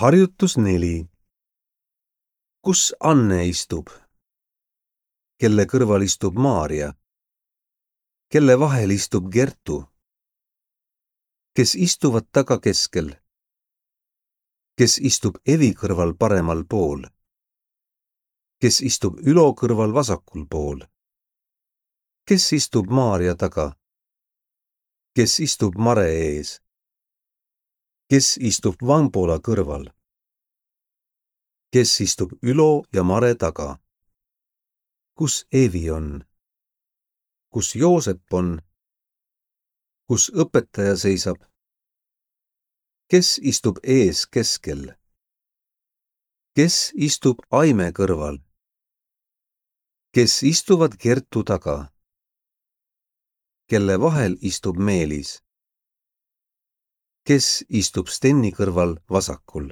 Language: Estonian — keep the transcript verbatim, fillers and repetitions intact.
Harjutus neli. Kus Anne istub? Kelle kõrval istub Maarja? Kelle vahel istub Gertu? Kes istuvad taga keskel? Kes istub Evi kõrval paremal pool? Kes istub Ülo kõrval vasakul pool? Kes istub Maarja taga? Kes istub Mare ees? Kes istub Vambola kõrval? Kes istub Ülo ja Mare taga? Kus Evi on? Kus Joosep on? Kus õpetaja seisab? Kes istub ees keskel? Kes istub Aime kõrval? Kes istuvad Gertu taga? Kelle vahel istub Meelis? Kes istub Stenni kõrval vasakul?